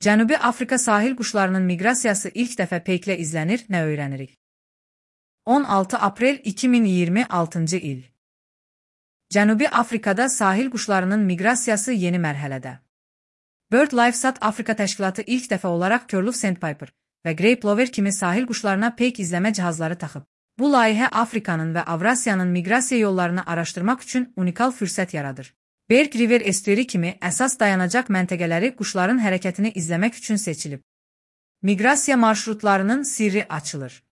Cənubi Afrika sahil quşlarının miqrasiyası ilk dəfə peyklə izlənir, nə öyrənirik? 16 aprel 2026-cı il. Cənubi Afrikada sahil quşlarının miqrasiyası yeni mərhələdə. BirdLife South Africa təşkilatı ilk dəfə olaraq Curlew Sandpiper və Grey Plover kimi sahil quşlarına peyk izləmə cihazları taxıb. Bu layihə Afrikanın və Avrasiyanın miqrasiya yollarını araşdırmaq üçün unikal fürsət yaradır. Berg River estueri kimi əsas dayanacaq məntəqələri quşların hərəkətini izləmək üçün seçilib. Miqrasiya marşrutlarının sirri açılır.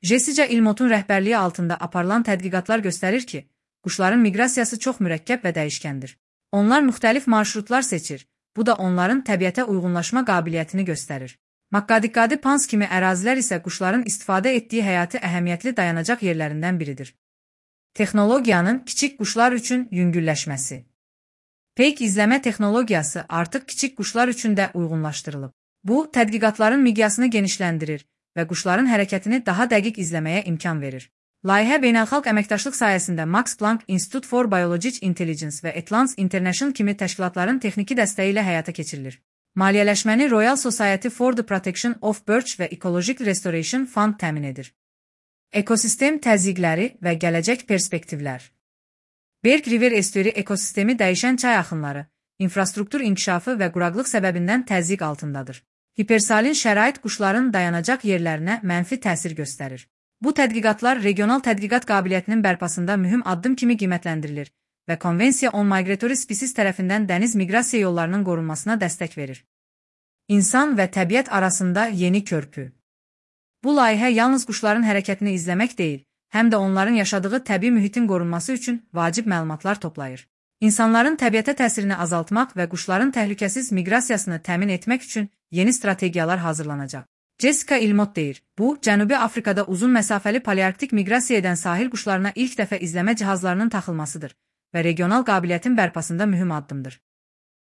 Jessica Ilmotun rəhbərliyi altında aparılan tədqiqatlar göstərir ki, quşların miqrasiyası çox mürəkkəb və dəyişkəndir. Onlar müxtəlif marşrutlar seçir, bu da onların təbiətə uyğunlaşma qabiliyyətini göstərir. Maqqadiqqadi Pans kimi ərazilər isə quşların istifadə etdiyi həyati əhəmiyyətli dayanacaq yerlərindən biridir. Texnologiyanın kiçik quşlar üçün yüngülləşməsi. Peyk izləmə texnologiyası artıq kiçik quşlar üçün də uyğunlaşdırılıb. Bu, tədqiqatların miqyasını genişləndirir və quşların hərəkətini daha dəqiq izləməyə imkan verir. Layihə beynəlxalq əməkdaşlıq sayəsində Max Planck Institute for Biological Intelligence və Atlas International kimi təşkilatların texniki dəstəyi ilə həyata keçirilir. Maliyyələşməni Royal Society for the Protection of Birds və Ecological Restoration Fund təmin edir. Ekosistem təzyiqləri və gələcək perspektivlər. Berg River estueri ekosistemi dəyişən çay axınları, infrastruktur inkişafı və quraqlıq səbəbindən təzyiq altındadır. Hipersalin şərait quşların dayanacaq yerlərinə mənfi təsir göstərir. Bu tədqiqatlar regional tədqiqat qabiliyyətinin bərpasında mühüm addım kimi qiymətləndirilir və Konvensiya on Migratory Species tərəfindən dəniz miqrasiya yollarının qorunmasına dəstək verir. İnsan və təbiət arasında yeni körpü. Bu layihə yalnız quşların hərəkətini izləmək deyil, həm də onların yaşadığı təbii mühitin qorunması üçün vacib məlumatlar toplayır. İnsanların təbiətə təsirini azaltmaq və quşların təhlükəsiz miqrasiyasını təmin etmək üçün yeni strategiyalar hazırlanacaq. Jessica Ilmot deyir, bu, Cənubi Afrikada uzun məsafəli palearktik miqrasiya edən sahil quşlarına ilk dəfə izləmə cihazlarının taxılmasıdır və regional qabiliyyətin bərpasında mühüm addımdır.